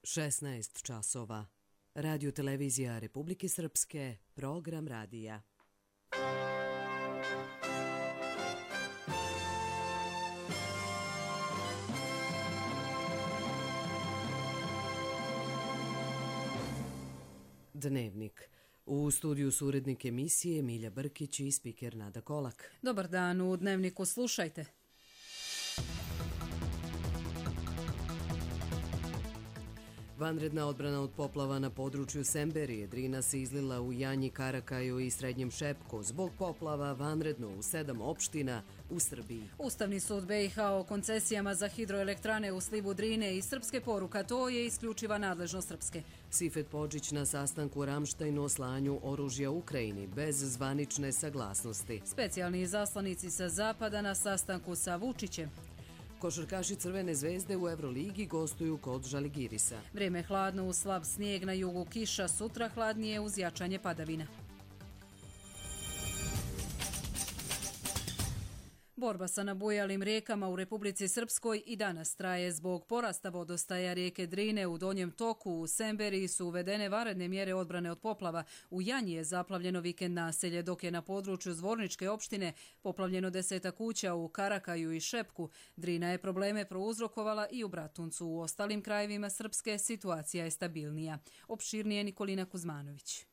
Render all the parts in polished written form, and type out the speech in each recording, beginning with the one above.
16 časova. Radio televizija Republike Srpske, program radija. Dnevnik. U studiju su urednik emisije Milja Brkić i spiker Nada Kolak. Dobar dan, u Dnevniku slušajte. Vanredna odbrana od poplava na području Semberije. Drina se izlila u Janji, Karakaju i Srednjem Šepku. Zbog poplava vanredno u 7 opština u Srbiji. Ustavni sud BiH o koncesijama za hidroelektrane u slivu Drine i srpske poruka, to je isključiva nadležnost Srpske. Sifet Podžić na sastanku u Ramštajnu o slanju oružja Ukrajini bez zvanične saglasnosti. Specijalni izaslanici sa zapada na sastanku sa Vučićem. Košarkaši Crvene zvezde u Euroligi gostuju kod Žaligirisa. Vrijeme hladno, uz slab snijeg, na jugu kiša, sutra hladnije uz jačanje padavina. Borba sa nabujalim rijekama u Republici Srpskoj i danas traje. Zbog porasta vodostaja rijeke Drine u donjem toku u Semberiji su uvedene vanredne mjere odbrane od poplava. U Janji je zaplavljeno vikend naselje, dok je na području Zvorničke opštine poplavljeno 10 kuća u Karakaju i Šepku. Drina je probleme prouzrokovala i u Bratuncu. U ostalim krajevima Srpske situacija je stabilnija. Opširnije Nikolina Kuzmanović.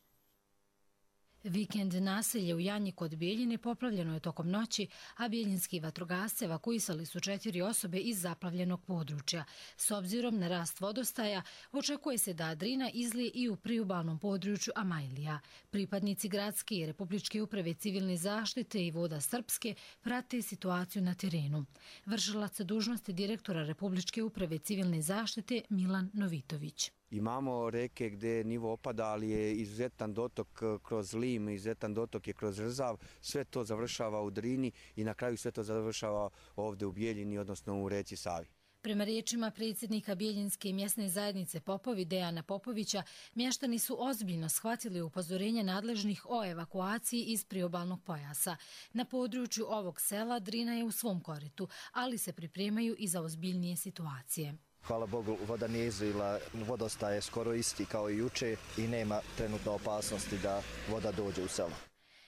Vikend naselje u Janji kod Bijeljine poplavljeno je tokom noći, a bijeljinski vatrogasci evakuisali su 4 osobe iz zaplavljenog područja. S obzirom na rast vodostaja, očekuje se da Drina izlije i u priobalnom području Amajlija. Pripadnici gradske i Republičke uprave civilne zaštite i Voda Srpske prate situaciju na terenu. Vršilac dužnosti direktora Republičke uprave civilne zaštite Milan Novitović. Imamo reke gdje nivo opada, ali je izuzetan dotok kroz Lim, izuzetan dotok je kroz Rzav, sve to završava u Drini i na kraju sve to završava ovdje u Bijeljini, odnosno u reci Savi. Prema riječima predsjednika Bijeljinske mjesne zajednice Popovi Dejana Popovića, mještani su ozbiljno shvatili upozorenje nadležnih o evakuaciji iz priobalnog pojasa. Na području ovog sela Drina je u svom koritu, ali se pripremaju i za ozbiljnije situacije. Hvala Bogu, voda nije izlila, vodostaj je skoro isti kao i juče i nema trenutno opasnosti da voda dođe u selo.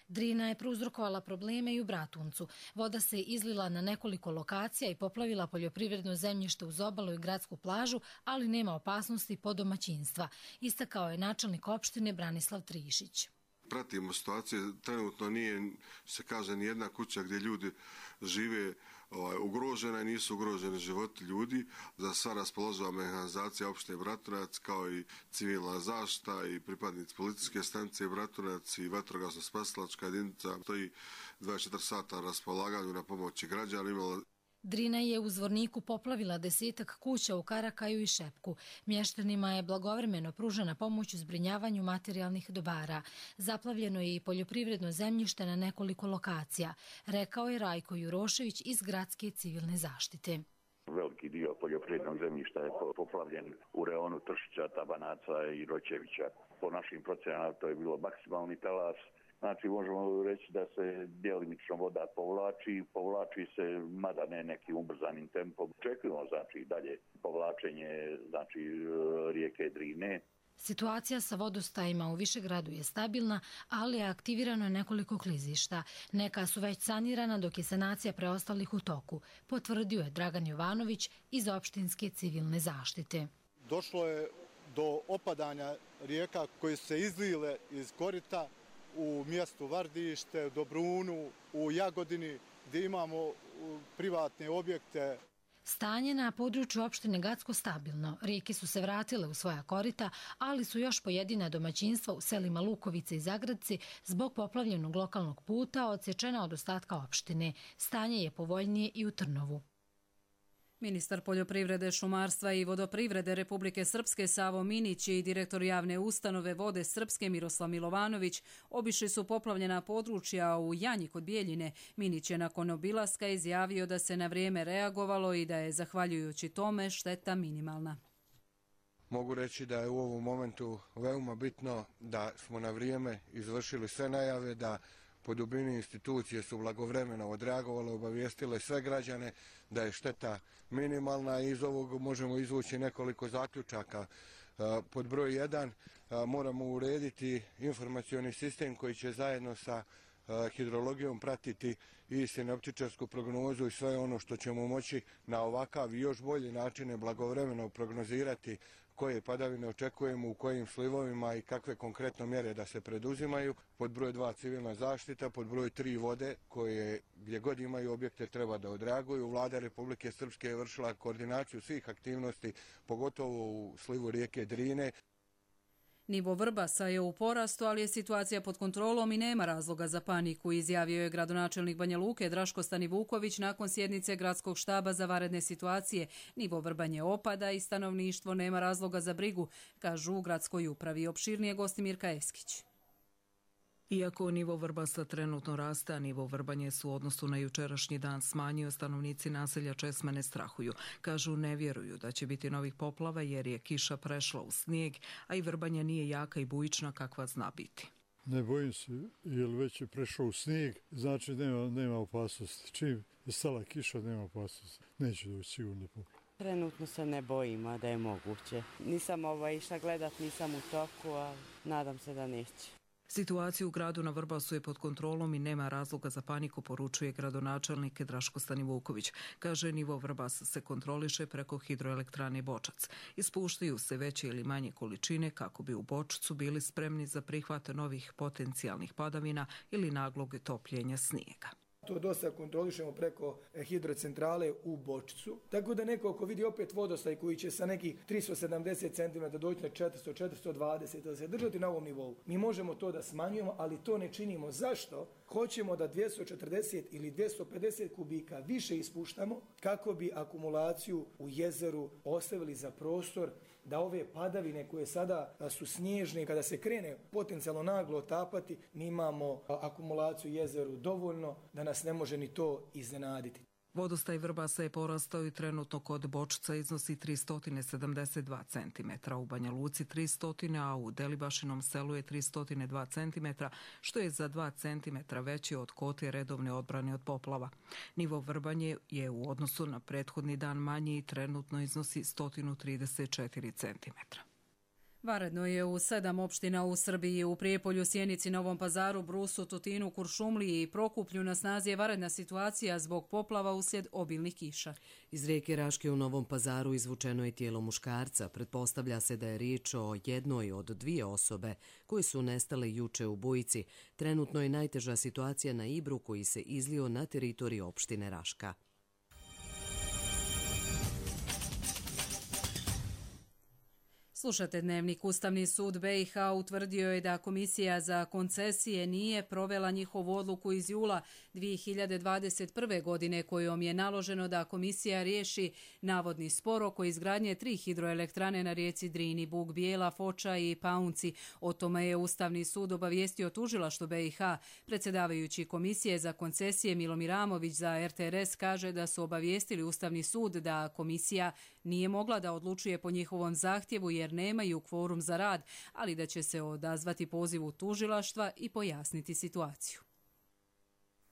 Drina je prouzrokovala probleme i u Bratuncu. Voda se izlila na nekoliko lokacija i poplavila poljoprivredno zemljište uz obalu i gradsku plažu, ali nema opasnosti po domaćinstva, istakao je načelnik opštine Branislav Trišić. Pratimo situaciju, trenutno nije, se kaže, ni jedna kuća gdje ljudi žive ugrožena i nisu ugroženi životi ljudi. Za sva raspoloživa mehanizacija opštine Bratunac, kao i civilna zaštita i pripadnici policijske stanice Bratunac i vatrogasno-spasilačka jedinica stoji 24 sata na raspolaganju na pomoći građanima. Drina je u Zvorniku poplavila 10 kuća u Karakaju i Šepku. Mještanima je blagovremeno pružena pomoć u zbrinjavanju materijalnih dobara. Zaplavljeno je i poljoprivredno zemljište na nekoliko lokacija, rekao je Rajko Jurošević iz Gradske civilne zaštite. Veliki dio poljoprivrednog zemljišta je poplavljen u reonu Tršića, Tabanaca i Roćevića. Po našim procenama to je bilo maksimalni talas. Znači, možemo reći da se djelimično voda povlači se, mada ne nekim ubrzanim tempom. Očekujemo, znači, dalje povlačenje, znači, rijeke Drine. Situacija sa vodostajima u Višegradu je stabilna, ali je aktivirano nekoliko klizišta. Neka su već sanirana, dok je sanacija preostalih u toku, potvrdio je Dragan Jovanović iz opštinske civilne zaštite. Došlo je do opadanja rijeka koje su se izlile iz korita u mjestu Vardište, Dobrunu, u Jagodini, gdje imamo privatne objekte. Stanje na području opštine Gacko stabilno. Rijeke su se vratile u svoja korita, ali su još pojedina domaćinstva u selima Lukovice i Zagradci zbog poplavljenog lokalnog puta odsječena od ostatka opštine. Stanje je povoljnije i u Trnovu. Ministar poljoprivrede, šumarstva i vodoprivrede Republike Srpske Savo Minić i direktor javne ustanove Vode Srpske Miroslav Milovanović obišli su poplavljena područja u Janji kod Bijeljine. Minić je nakon obilaska izjavio da se na vrijeme reagovalo i da je, zahvaljujući tome, šteta minimalna. Mogu reći da je u ovom momentu veoma bitno da smo na vrijeme izvršili sve najave, da po dubini institucije su blagovremeno odreagovale, obavijestile sve građane da je šteta minimalna i iz ovog možemo izvući nekoliko zaključaka. Pod broj 1 moramo urediti informacioni sistem koji će zajedno sa hidrologijom pratiti i sinoptičarsku prognozu i sve ono što ćemo moći na ovakav i još bolji način blagovremeno prognozirati koje padavine očekujemo, u kojim slivovima i kakve konkretno mjere da se preduzimaju. Pod broj 2 civilna zaštita, pod broj 3 vode koje gdje god imaju objekte treba da odreaguju. Vlada Republike Srpske je vršila koordinaciju svih aktivnosti, pogotovo u slivu rijeke Drine. Nivo Vrbasa je u porastu, ali je situacija pod kontrolom i nema razloga za paniku, izjavio je gradonačelnik Banja Luke Draško Stanivuković nakon sjednice gradskog štaba za vanredne situacije. Nivo Vrbanje opada i stanovništvo nema razloga za brigu, kažu u gradskoj upravi. Opširnije gosti Mirka Eskić. Iako nivo Vrbasa trenutno raste, a nivo Vrbanje su u odnosu na jučerašnji dan smanjio, stanovnici naselja Česme ne strahuju. Kažu ne vjeruju da će biti novih poplava jer je kiša prešla u snijeg, a i Vrbanja nije jaka i bujična kakva zna biti. Ne bojim se, jer već je prešao u snijeg, znači nema opasnosti. Čim je stala kiša, nema opasnosti. Neće doći sigurno poplava. Trenutno se ne bojim, a da je moguće. Nisam išla gledat, nisam u toku, a nadam se da neće. Situaciju u gradu na Vrbasu je pod kontrolom i nema razloga za paniku, poručuje gradonačelnik Draško Stanivuković. Kaže, nivo Vrbas se kontroliše preko hidroelektrane Bočac. Ispuštaju se veće ili manje količine kako bi u Bočcu bili spremni za prihvat novih potencijalnih padavina ili naglog topljenja snijega. To dosta kontrolišemo preko hidrocentrale u Bočicu. Tako da neko ako vidi opet vodostaj koji će sa nekih 370 cm doći na 400-420 da se držati na ovom nivou. Mi možemo to da smanjujemo, ali to ne činimo. Zašto? Hoćemo da 240 ili 250 kubika više ispuštamo kako bi akumulaciju u jezeru ostavili za prostor da ove padavine koje sada su snježne, kada se krene potencijalno naglo otapati, mi imamo akumulaciju u jezeru dovoljno da nas ne može ni to iznenaditi. Vodostaj Vrbasa je porastao i trenutno kod Bočca iznosi 372 cm, u Banja Luci 300, a u Delibašinom selu je 302 cm, što je za 2 cm veće od kote redovne odbrane od poplava. Nivo Vrbanje je u odnosu na prethodni dan manji i trenutno iznosi 134 cm. Vanredno je u 7 opština u Srbiji, u Prijepolju, Sjenici, Novom Pazaru, Brusu, Tutinu, Kuršumliji i Prokuplju na snazi je vanredna situacija zbog poplava uslijed obilnih kiša. Iz rijeke Raške u Novom Pazaru izvučeno je tijelo muškarca. Pretpostavlja se da je riječ o jednoj od 2 osobe koje su nestale juče u bujici. Trenutno je najteža situacija na Ibru koji se izlio na teritoriji opštine Raška. Slušate Dnevnik. Ustavni sud BiH utvrdio je da Komisija za koncesije nije provela njihovu odluku iz jula 2021. godine kojom je naloženo da komisija riješi navodni spor oko izgradnje 3 hidroelektrane na rijeci Drini, Bug Bijela, Foča i Paunci. O tome je Ustavni sud obavijestio tužilaštvo BiH. Predsjedavajući Komisije za koncesije Milomir Amović za RTRS kaže da su obavijestili Ustavni sud da komisija nije mogla da odlučuje po njihovom zahtjevu jer nemaju kvorum za rad, ali da će se odazvati pozivu tužilaštva i pojasniti situaciju.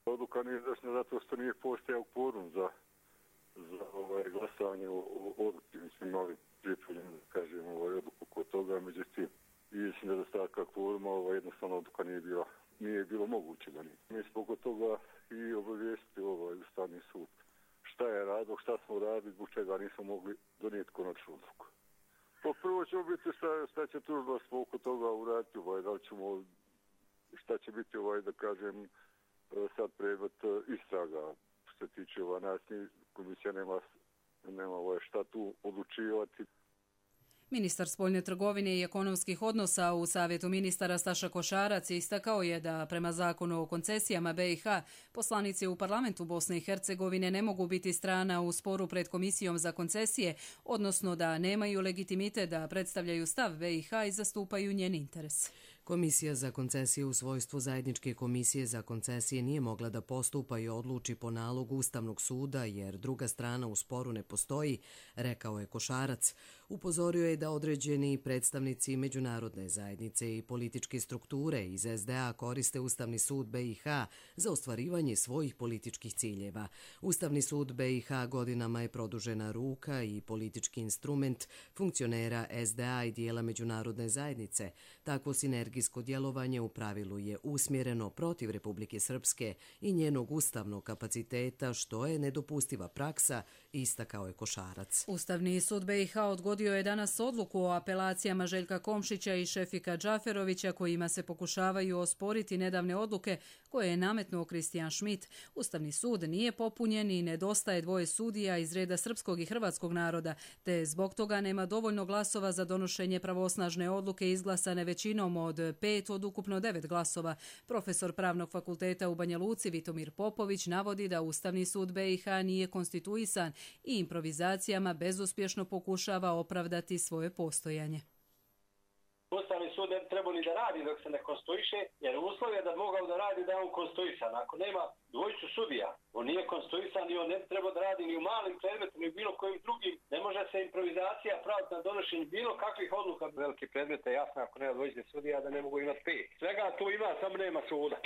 Odluka nije izvršena zato što nije postojao kvorum za glasanje o odluci. Mislim, ovim prijepoljeno, kažem, odluku kod toga, međutim, i nedostatka kvoruma, jednostavno odluka nije bilo moguće da nije. Mi smo kod toga i obavijestili Ustavni sud. Šta je radilo, šta smo radili, zbog čega nismo mogli donijeti konačnu odluku. Pa prvo ćemo biti šta će tužilaštvo oko toga uraditi, da li ćemo, šta će biti, da kažem, sad predmet istraga. Što se tiče nas, komisija nema šta tu odlučivati. Ministar spoljne trgovine i ekonomskih odnosa u Savjetu ministara Staša Košarac istakao je da prema zakonu o koncesijama BiH poslanici u parlamentu Bosne i Hercegovine ne mogu biti strana u sporu pred Komisijom za koncesije, odnosno da nemaju legitimitet da predstavljaju stav BiH i zastupaju njen interes. Komisija za koncesije u svojstvu zajedničke komisije za koncesije nije mogla da postupa i odluči po nalogu Ustavnog suda jer druga strana u sporu ne postoji, rekao je Košarac. Upozorio je da određeni predstavnici međunarodne zajednice i političke strukture iz SDA koriste Ustavni sud BiH za ostvarivanje svojih političkih ciljeva. Ustavni sud BiH godinama je produžena ruka i politički instrument funkcionera SDA i dijela međunarodne zajednice. Takvo sinergijsko djelovanje u pravilu je usmjereno protiv Republike Srpske i njenog ustavnog kapaciteta, što je nedopustiva praksa, istakao je Košarac. Ustavni sud BiH odgodio je danas odluku o apelacijama Željka Komšića i Šefika Džaferovića kojima se pokušavaju osporiti nedavne odluke koje je nametnuo Kristijan Schmidt. Ustavni sud nije popunjen i nedostaje dvoje sudija iz reda srpskog i hrvatskog naroda, te zbog toga nema dovoljno glasova za donošenje pravosnažne odluke izglasane većinom od 5 od ukupno 9 glasova. Profesor Pravnog fakulteta u Banja Luci Vitomir Popović navodi da Ustavni sud BiH nije konstituisan i improvizacijama bezuspješno pokušava opravdati svoje postojanje. Ustavni sud ne bi trebao ni da radi dok se ne konstituiše, jer uslov je da mogao da radi da je on konstituisan. Ako nema dvojicu sudija, on nije konstituisan i on ne bi trebao da radi ni u malim predmetima ni u bilo kojim drugim. Ne može se improvizacija praviti na donošenju bilo kakvih odluka. Velike predmete, jasno, ako nema dvojice sudija, da ne mogu imati 5. Svega tu ima, samo nema suda.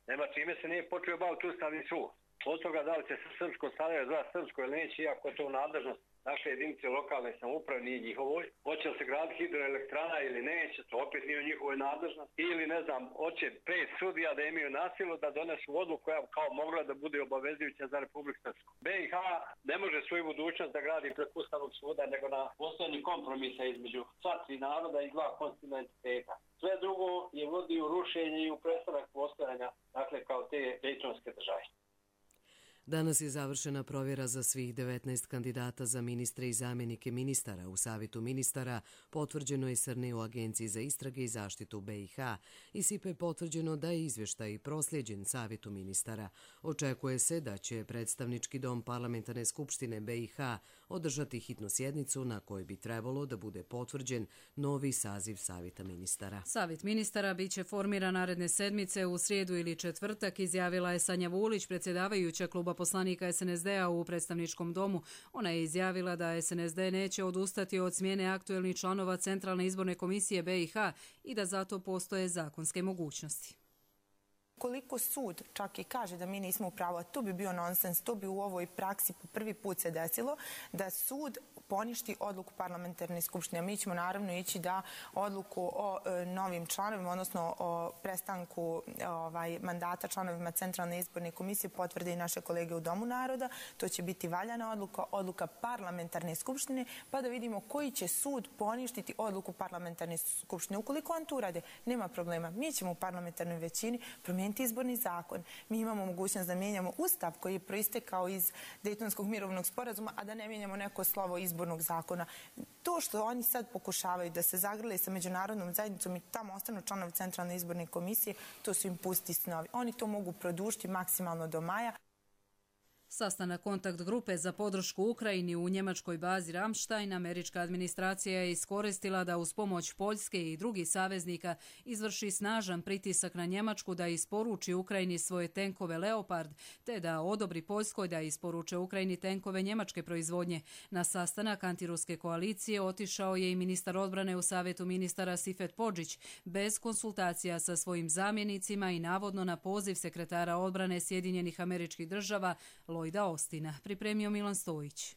Nema čime se nije počeo baviti Ustavni sud. Od toga da li će se srpsko stavljati za srpsko ili neće, iako je to nadležnost naše jedinice lokalne samouprave, nije njihovoj. Hoće li se graditi hidroelektrana ili neće, to opet nije u njihovoj nadležnosti. Ili, ne znam, hoće 5 sudija da imaju nasilu da donesu odluku koja kao mogla da bude obavezujuća za Republiku Srpsku. BiH ne može svoju budućnost da gradi preko Ustavnog suda, nego na postojanju kompromisa između sva 3 naroda i 2 konstitutivna entiteta. Sve drugo je vodi u rušenje i u prestanak postojanja, dakle, kao te dejtonske države. Danas je završena provjera za svih 19 kandidata za ministre i zamjenike ministara. U Savetu ministara potvrđeno je Srne u Agenciji za istrage i zaštitu BiH. Iz SIPE je potvrđeno da je izvještaj prosljeđen Savetu ministara. Očekuje se da će predstavnički dom Parlamentarne skupštine BiH održati hitnu sjednicu na kojoj bi trebalo da bude potvrđen novi saziv Saveta ministara. Savet ministara biće formiran naredne sedmice u srijedu ili četvrtak, izjavila je Sanja Vulić, predsjedavajuća kluba poslanika SNSD-a u predstavničkom domu. Ona je izjavila da SNSD neće odustati od smjene aktuelnih članova Centralne izborne komisije BiH i da zato postoje zakonske mogućnosti. Koliko sud čak i kaže da mi nismo u pravu, a to bi bio nonsens, to bi u ovoj praksi po prvi put se desilo, da sud poništi odluku parlamentarne skupštine. Mi ćemo naravno ići da odluku o novim članovima, odnosno o prestanku mandata članovima Centralne izborne komisije potvrde i naše kolege u Domu naroda. To će biti valjana odluka, odluka parlamentarne skupštine, pa da vidimo koji će sud poništiti odluku parlamentarne skupštine. Ukoliko on to urade, nema problema. Mi ćemo u parlamentarnoj većini promijeniti izborni zakon. Mi imamo mogućnost da mijenjamo ustav koji je proistekao iz Dejtonskog mirovnog sporazuma, a da ne mijenjamo neko slovo izbornog zakona. To što oni sad pokušavaju da se zagrle sa međunarodnom zajednicom i tamo ostanu članovi Centralne izborne komisije, to su im pusti snovi. Oni to mogu produžiti maksimalno do maja. Sastanak kontakt grupe za podršku Ukrajini u njemačkoj bazi Ramstein američka administracija je iskoristila da uz pomoć Poljske i drugih saveznika izvrši snažan pritisak na Njemačku da isporuči Ukrajini svoje tenkove Leopard, te da odobri Poljskoj da isporuče Ukrajini tenkove njemačke proizvodnje. Na sastanak antiruske koalicije otišao je i ministar odbrane u Savetu ministara Sifet Podžić, bez konsultacija sa svojim zamjenicima i navodno na poziv sekretara odbrane Sjedinjenih Američkih Država Lloyda Austina. Pripremio Milan Stojić.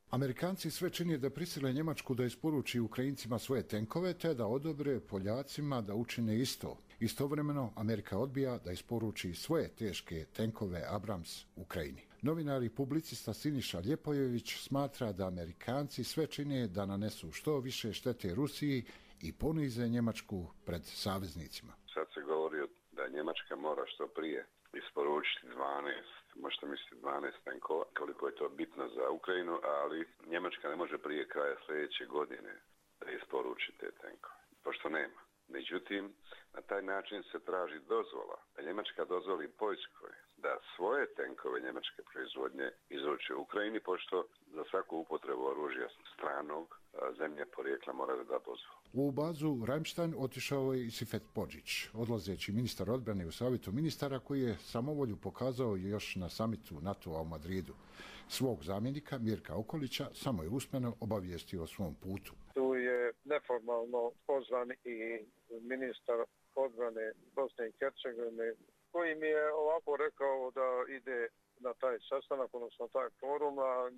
Amerikanci sve čine da prisile Njemačku da isporuči Ukrajincima svoje tenkove te da odobre Poljacima da učine isto. Istovremeno, Amerika odbija da isporuči svoje teške tenkove Abrams Ukrajini. Novinar i publicista Siniša Ljepojević smatra da Amerikanci sve čine da nanesu što više štete Rusiji i ponize Njemačku pred saveznicima. Sad se govori da Njemačka mora što prije isporučiti možete misliti 12 tenkova, koliko je to bitno za Ukrajinu, ali Njemačka ne može prije kraja sljedeće godine da isporuči te tenkove, pošto nema. Međutim, na taj način se traži dozvola, da Njemačka dozvoli Poljskoj da svoje tenkove njemačke proizvodnje izruči u Ukrajini, pošto za svaku upotrebu oružja stranog zemlje porijekla mora da dozvolu. U bazu Ramstein otišao je i Sifet Podžić, odlazeći ministar odbrane u savjetu ministara koji je samovolju pokazao još na samitu NATO-a u Madridu. Svog zamjenika Mirka Okolića samo je usmeno obavijestio o svom putu. Tu je neformalno pozvan i ministar odbrane Bosne i Hercegovine, koji mi je ovako rekao da ide na taj sastanak, odnosno taj forum, a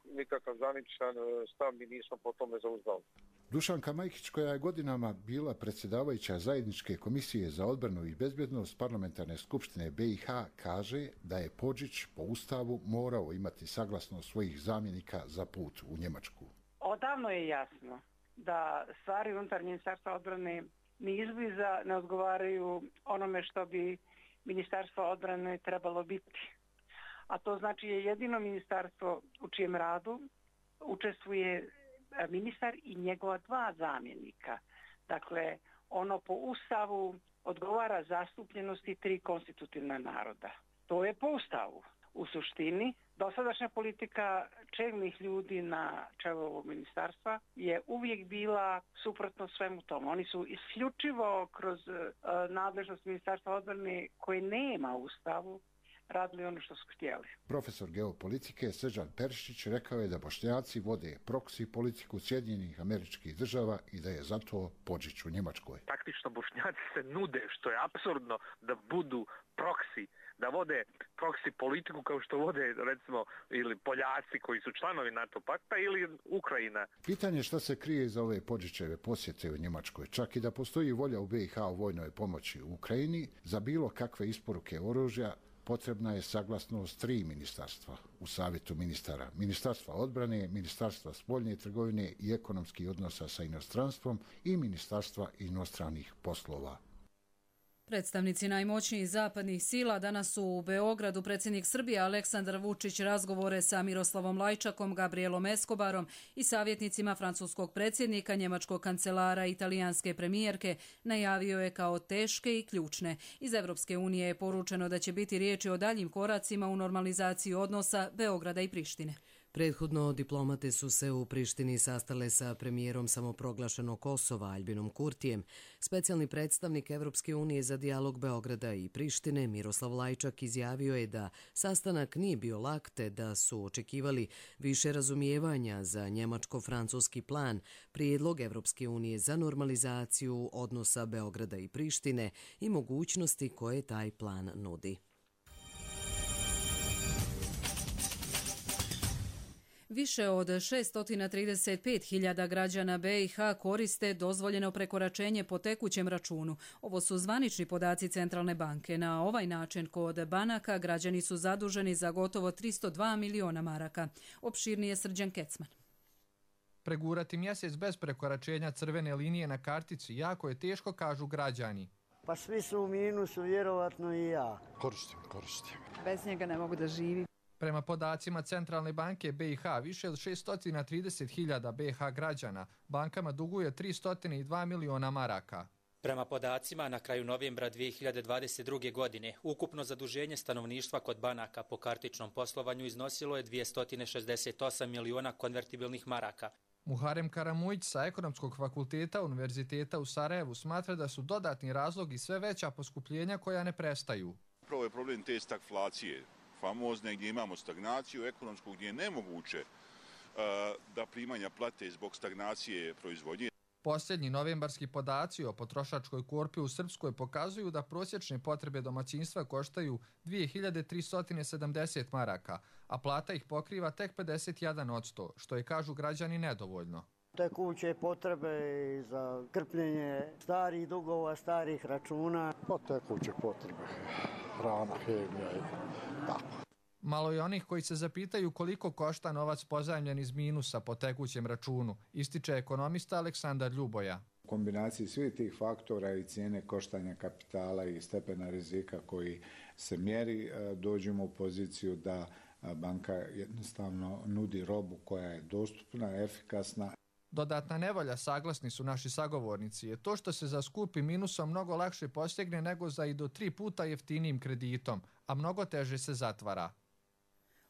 nikakav zvaničan stav mi nismo po tome zauzdali. Dušanka Majkić, koja je godinama bila predsjedavajuća zajedničke komisije za odbranu i bezbjednost parlamentarne skupštine BiH, kaže da je Podžić po ustavu morao imati saglasnost svojih zamjenika za put u Njemačku. Odavno je jasno da stvari unutar Ministarstva odbrane ni izbliza ne odgovaraju onome što bi Ministarstvo odbrane trebalo biti. A to znači je jedino ministarstvo u čijem radu učestvuje ministar i njegova dva zamjenika. Dakle, ono po ustavu odgovara zastupljenosti 3 konstitutivna naroda. To je po ustavu. U suštini, dosadašnja politika čelnih ljudi na čelu ovog ministarstva je uvijek bila suprotno svemu tomu. Oni su isključivo kroz nadležnost Ministarstva odbrane koje nema u ustavu radili ono što su htjeli. Profesor geopolitike Srđan Perišić rekao je da Bošnjaci vode proksi politiku Sjedinjenih Američkih Država i da je zato Podžić u Njemačkoj. Praktično Bošnjaci se nude, što je apsurdno, da budu proksi, da vode proksi politiku kao što vode recimo ili Poljaci koji su članovi NATO pakta ili Ukrajina. Pitanje šta se krije iza ove Podžićeve posjete u Njemačkoj, čak i da postoji volja u BiH u vojnoj pomoći u Ukrajini, za bilo kakve isporuke oružja potrebna je saglasnost 3 ministarstva u savjetu ministara. Ministarstva odbrane, Ministarstva spoljne trgovine i ekonomskih odnosa sa inostranstvom i Ministarstva inostranih poslova. Predstavnici najmoćnijih zapadnih sila danas su u Beogradu. Predsjednik Srbije Aleksandar Vučić razgovore sa Miroslavom Lajčakom, Gabrielom Escobarom i savjetnicima francuskog predsjednika, njemačkog kancelara i italijanske premijerke najavio je kao teške i ključne. Iz Evropske unije je poručeno da će biti riječi o daljim koracima u normalizaciji odnosa Beograda i Prištine. Prethodno diplomate su se u Prištini sastale sa premijerom samoproglašenog Kosova Aljbinom Kurtijem. Specijalni predstavnik Evropske unije za dijalog Beograda i Prištine Miroslav Lajčak izjavio je da sastanak nije bio lak te da su očekivali više razumijevanja za njemačko-francuski plan, prijedlog Evropske unije za normalizaciju odnosa Beograda i Prištine i mogućnosti koje taj plan nudi. Više od 635.000 građana BiH koriste dozvoljeno prekoračenje po tekućem računu. Ovo su zvanični podaci Centralne banke. Na ovaj način kod banaka građani su zaduženi za gotovo 302 miliona maraka. Opširnije Srđan Kecman. Pregurati mjesec bez prekoračenja crvene linije na kartici jako je teško, kažu građani. Pa svi su u minusu, vjerovatno i ja. Koristim. Bez njega ne mogu da živim. Prema podacima Centralne banke BiH, više od 630.000 BiH građana bankama duguje 302 miliona maraka. Prema podacima, na kraju novembra 2022. godine, ukupno zaduženje stanovništva kod banaka po kartičnom poslovanju iznosilo je 268 miliona konvertibilnih maraka. Muharem Karamujić sa Ekonomskog fakulteta Univerziteta u Sarajevu smatra da su dodatni razlogi sve veća poskupljenja koja ne prestaju. Prvo je problem te stagflacije, famozne, gdje imamo stagnaciju ekonomsku, gdje je nemoguće da primanja plate zbog stagnacije proizvodnje. Posljednji novembarski podaci o potrošačkoj korpi u Srpskoj pokazuju da prosječne potrebe domaćinstva koštaju 2370 maraka, a plata ih pokriva tek 51%, što je, kažu građani, nedovoljno. Tekuće potrebe za krpljenje starih dugova, starih računa. Pa tekuće potrebe, hrana, hemija i tako. Malo je onih koji se zapitaju koliko košta novac pozajmljen iz minusa po tekućem računu, ističe ekonomista Aleksandar Ljuboja. U kombinaciji svih tih faktora i cijene koštanja kapitala i stepena rizika koji se mjeri, dođemo u poziciju da banka jednostavno nudi robu koja je dostupna, efikasna. Dodatna nevolja, saglasni su naši sagovornici, je to što se za skupim minusom mnogo lakše postigne nego za i do 3 puta jeftinijim kreditom, a mnogo teže se zatvara.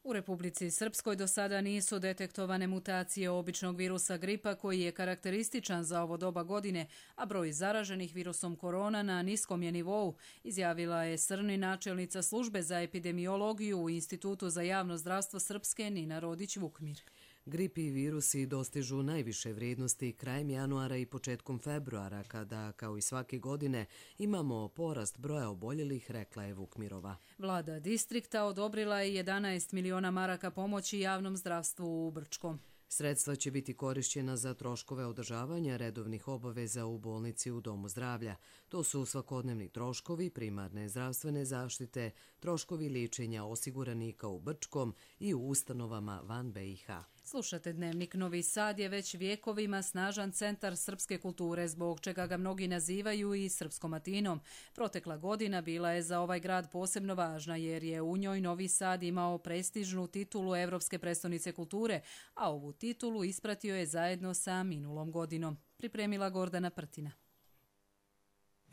U Republici Srpskoj do sada nisu detektovane mutacije običnog virusa gripa koji je karakterističan za ovo doba godine, a broj zaraženih virusom korona na niskom je nivou, izjavila je Srni načelnica službe za epidemiologiju u Institutu za javno zdravstvo Srpske Nina Rodić-Vukmir. Grip i virusi dostižu najviše vrijednosti krajem januara i početkom februara, kada, kao i svake godine, imamo porast broja oboljelih, rekla je Vukmirova. Vlada distrikta odobrila je 11 miliona maraka pomoći javnom zdravstvu u Brčkom. Sredstva će biti korišćena za troškove održavanja redovnih obaveza u bolnici u Domu zdravlja. To su svakodnevni troškovi, primarne zdravstvene zaštite, troškovi liječenja osiguranika u Brčkom i u ustanovama van BiH. Slušate Dnevnik. Novi Sad je već vjekovima snažan centar srpske kulture, zbog čega ga mnogi nazivaju i Srpskom Atinom. Protekla godina bila je za ovaj grad posebno važna, jer je u njoj Novi Sad imao prestižnu titulu Evropske prestonice kulture, a ovu titulu ispratio je zajedno sa minulom godinom. Pripremila Gordana Prtina.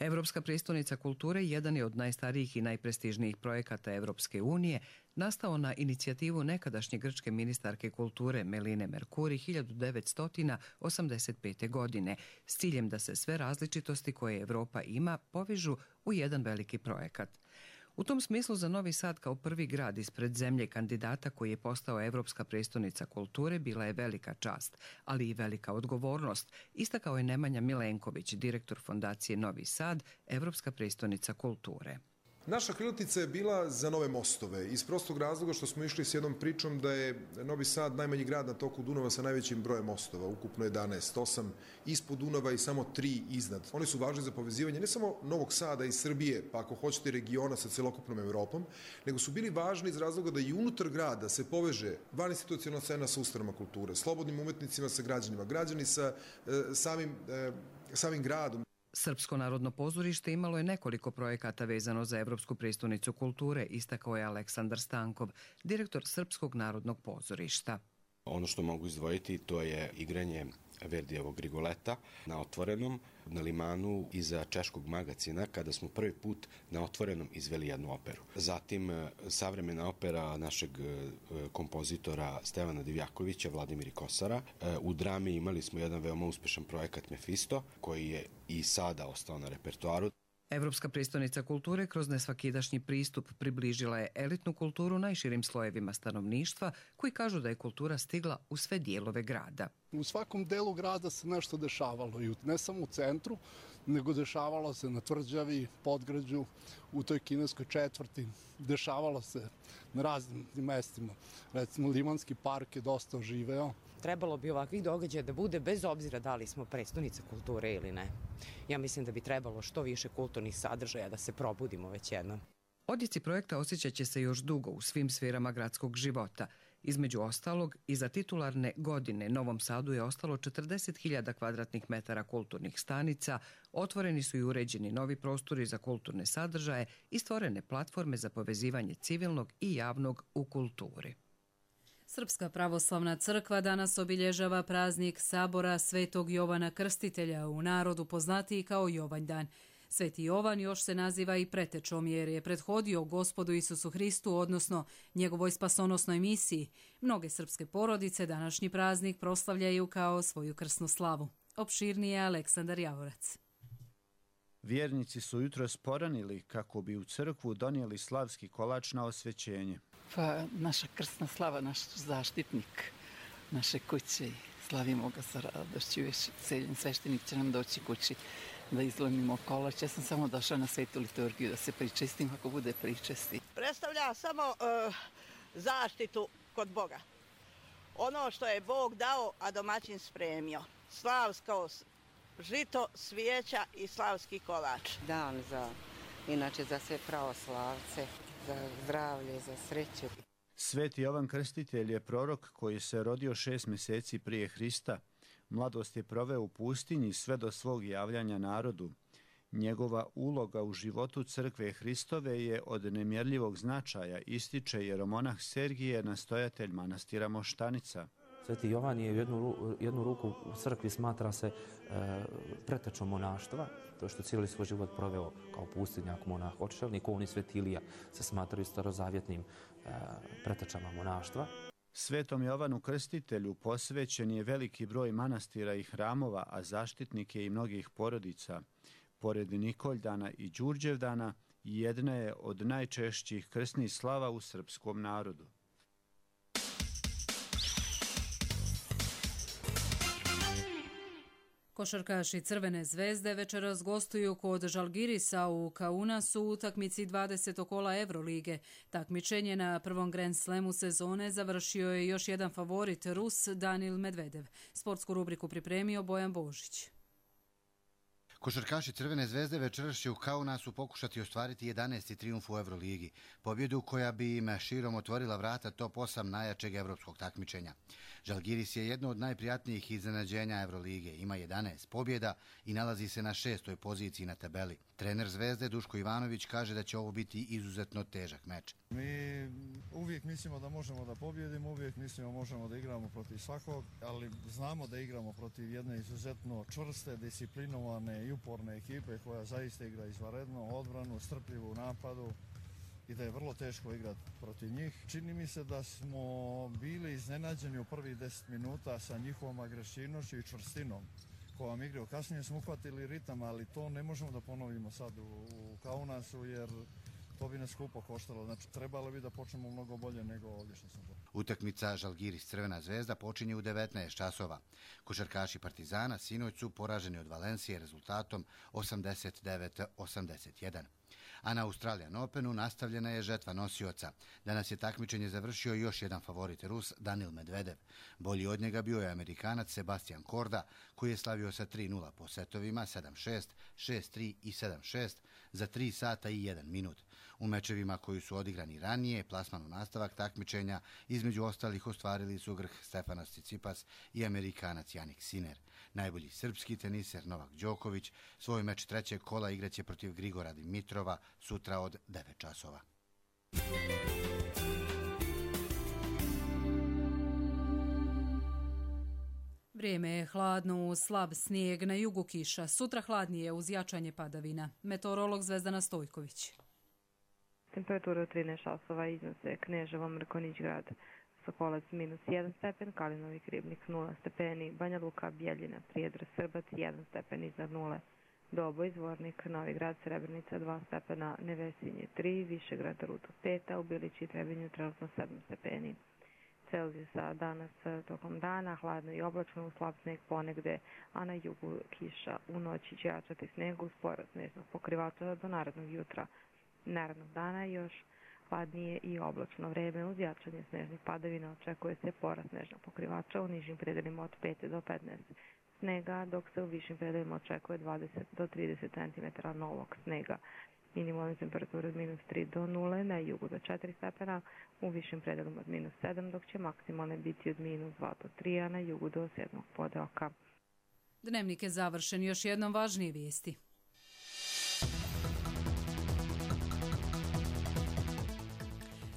Evropska prestonica kulture jedan je od najstarijih i najprestižnijih projekata Evropske unije, nastao na inicijativu nekadašnje grčke ministarke kulture Meline Merkuri 1985. godine, s ciljem da se sve različitosti koje Evropa ima povežu u jedan veliki projekat. U tom smislu za Novi Sad kao prvi grad ispred zemlje kandidata koji je postao Evropska prestonica kulture bila je velika čast, ali i velika odgovornost, istakao je Nemanja Milenković, direktor fondacije Novi Sad, Evropska prestonica kulture. Naša krilatica je bila za nove mostove, iz prostog razloga što smo išli s jednom pričom da je Novi Sad najmanji grad na toku Dunava sa najvećim brojem mostova, ukupno 11, 8 ispod Dunava i samo 3 iznad. Oni su važni za povezivanje ne samo Novog Sada i Srbije, pa ako hoćete regiona sa celokupnom Evropom, nego su bili važni iz razloga da i unutar grada se poveže vaninstitucionalna scena sa ustanovama kulture, slobodnim umetnicima sa građanima, građani sa samim gradom. Srpsko narodno pozorište imalo je nekoliko projekata vezano za Evropsku prestonicu kulture, istakao je Aleksandar Stankov, direktor Srpskog narodnog pozorišta. Ono što mogu izdvojiti to je igranje Verdijevog Rigoleta na otvorenom, na limanu iza Češkog magacina, kada smo prvi put na otvorenom izveli jednu operu. Zatim savremena opera našeg kompozitora Stevana Divjakovića, Vladimira Kosara. U drami imali smo jedan veoma uspešan projekat Mefisto, koji je i sada ostao na repertoaru. Evropska prestonica kulture kroz nesvakidašnji pristup približila je elitnu kulturu najširim slojevima stanovništva, koji kažu da je kultura stigla u sve dijelove grada. U svakom delu grada se nešto dešavalo, i ne samo u centru, nego dešavalo se na Tvrđavi, Podgrađu, u toj kineskoj četvrti, dešavalo se na raznim mestima. Recimo, Limanski park je dosta oživeo. Trebalo bi ovakvih događaja da bude bez obzira da li smo prestonica kulture ili ne. Ja mislim da bi trebalo što više kulturnih sadržaja da se probudimo već jednom. Odjeci projekta osjećat će se još dugo u svim sferama gradskog života. Između ostalog, iza titularne godine Novom Sadu je ostalo 40.000 kvadratnih metara kulturnih stanica, otvoreni su i uređeni novi prostori za kulturne sadržaje i stvorene platforme za povezivanje civilnog i javnog u kulturi. Srpska pravoslavna crkva danas obilježava praznik sabora Svetog Jovana Krstitelja, u narodu poznatiji kao Jovanjdan. Sveti Jovan još se naziva i pretečom jer je prethodio Gospodu Isusu Hristu, odnosno njegovoj spasonosnoj misiji. Mnoge srpske porodice današnji praznik proslavljaju kao svoju krsnu slavu. Opširnije Aleksandar Javorac. Vjernici su jutros poranili kako bi u crkvu donijeli slavski kolač na osvećenje. Pa naša krsna slava, naš zaštitnik naše kuće, slavimo ga sa radošću, celjen sveštenik će nam doći kući da izlomimo kolač. Ja sam samo došla na svetu liturgiju da se pričestim ako bude pričesti. Predstavlja samo zaštitu kod Boga. Ono što je Bog dao, a domaćin spremio. Slavsko žito, svijeća i slavski kolač. Dan inače za sve pravoslavce, za zdravlje, za sreću. Sveti Jovan Krstitelj je prorok koji se rodio 6 mjeseci prije Hrista. Mladost je proveo u pustinji sve do svog javljanja narodu. Njegova uloga u životu crkve Hristove je od nemjerljivog značaja, ističe jeromonah Sergije, nastojatelj manastira Moštanica. Sveti Jovan je jednu ruku u crkvi smatra se pretečom monaštva, to što cijeli svoj život proveo kao pustinjak, monah, očevnik. On i Sveti Ilija se smatraju starozavjetnim pretečama monaštva. Svetom Jovanu Krstitelju posvećen je veliki broj manastira i hramova, a zaštitnik je i mnogih porodica. Pored Nikoldana i Đurđevdana, jedna je od najčešćih krsnih slava u srpskom narodu. Košarkaši Crvene zvezde večeras gostuju kod Žalgirisa u Kaunasu u utakmici 20. kola Evrolige. Takmičenje na prvom Grand Slamu sezone završio je još jedan favorit, Rus Danil Medvedev. Sportsku rubriku pripremio Bojan Božić. Košarkaši Crvene zvezde večeras će u Kaunasu pokušati ostvariti 11. trijumf u Euroligi, pobjedu koja bi im širom otvorila vrata top 8 najjačeg evropskog takmičenja. Žalgiris je jedno od najprijatnijih iznenađenja Evrolige, ima 11 pobjeda i nalazi se na 6. poziciji na tabeli. Trener Zvezde Duško Ivanović kaže da će ovo biti izuzetno težak meč. Mi uvijek mislimo da možemo da pobjedimo, uvijek mislimo možemo da igramo protiv svakog, ali znamo da igramo protiv jedne izuzetno čvrste, disciplinovane i uporne ekipe koja zaista igra izvanredno, odbranu, strpljivu u napadu i da je vrlo teško igrati protiv njih. Čini mi se da smo bili iznenađeni u prvih 10 minuta sa njihovom agresivnošću i čvrstinom kojom igraju. Kasnije smo uhvatili ritam, ali to ne možemo da ponovimo sad u Kaunasu jer to bi nas skupo koštalo. Znači, trebalo bi da počnemo mnogo bolje nego ovdje što sam to. Utakmica Žalgiris Crvena zvezda počinje u 19 časova. Košarkaši Partizana sinoć su poraženi od Valencije rezultatom 89-81. A na Australian Openu nastavljena je žetva nosioca. Danas je takmičenje završio još jedan favorit Rus, Danil Medvedev. Bolji od njega bio je Amerikanac Sebastian Korda, koji je slavio sa 3-0 po setovima 7-6, 6-3 i 7-6 za 3 sata i 1 minut. U mečevima koji su odigrani ranije, plasman u nastavak takmičenja, između ostalih ostvarili su Grh Stefanos Tsitsipas i Amerikanac Jannik Sinner. Najbolji srpski teniser Novak Đoković svoj meč trećeg kola igraće protiv Grigora Dimitrova sutra od 9 časova. Vrijeme je hladno, slab snijeg, na jugu kiša. Sutra hladnije uz jačanje padavina. Meteorolog Zvezdana Stojković. Temperatura od 13 časova iznose Kneževo, Mrkonjić grad, Sokolac -1 stepen, Kalinovi Ribnik 0 stepeni, Banja Luka, Bjeljina, Prijedor, Srbac 1 stepen iznad 0. Doboj, Zvornik, Novi Grad, Srebrenica 2 stepena, Nevesinje 3, Višegrad, Rudo 5, u Bilići i Trebinju trenutno 7 stepeni. Celzijusa danas tokom dana, hladno i oblačno, u slab sneg ponegde, a na jugu kiša. U noći će jačati sneg uz porast snežnog pokrivača do narednog jutra. Narednog dana još hladnije i oblačno vreme uz jačanje snežnih padavina. Očekuje se porast snežnog pokrivača u nižim predelima od 5 do 15 snega, dok se u višim predelima očekuje 20 do 30 cm novog snega. Minimalne temperature od -3 do 0, na jugu do 4 stepena, u višim predelima od -7, dok će maksimalne biti od -2 do 3, a na jugu do 7. podeoka. Dnevnik je završen, još jednom važnije vijesti.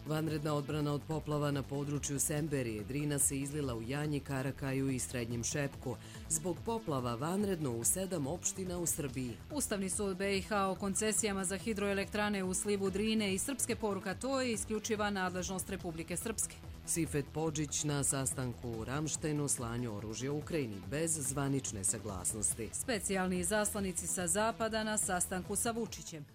Vanredna odbrana od poplava na području Semberije. Drina se izlila u Janji, Karakaju i Srednjem Šepku. Zbog poplava vanredno u 7 opština u Srbiji. Ustavni sud BiH o koncesijama za hidroelektrane u slivu Drine i srpske poruka, to je isključiva nadležnost Republike Srpske. Sifet Podžić na sastanku u Ramštejnu slanju oružja u Ukrajini bez zvanične saglasnosti. Specijalni izaslanici sa zapada na sastanku sa Vučićem.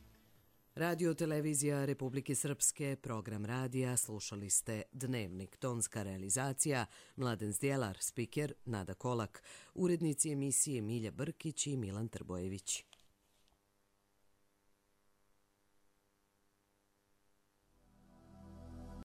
Radio televizija Republike Srpske, program radija, slušali ste Dnevnik, tonska realizacija, Mladen Zdjelar, spiker Nada Kolak, urednici emisije Milja Brkić i Milan Trbojević.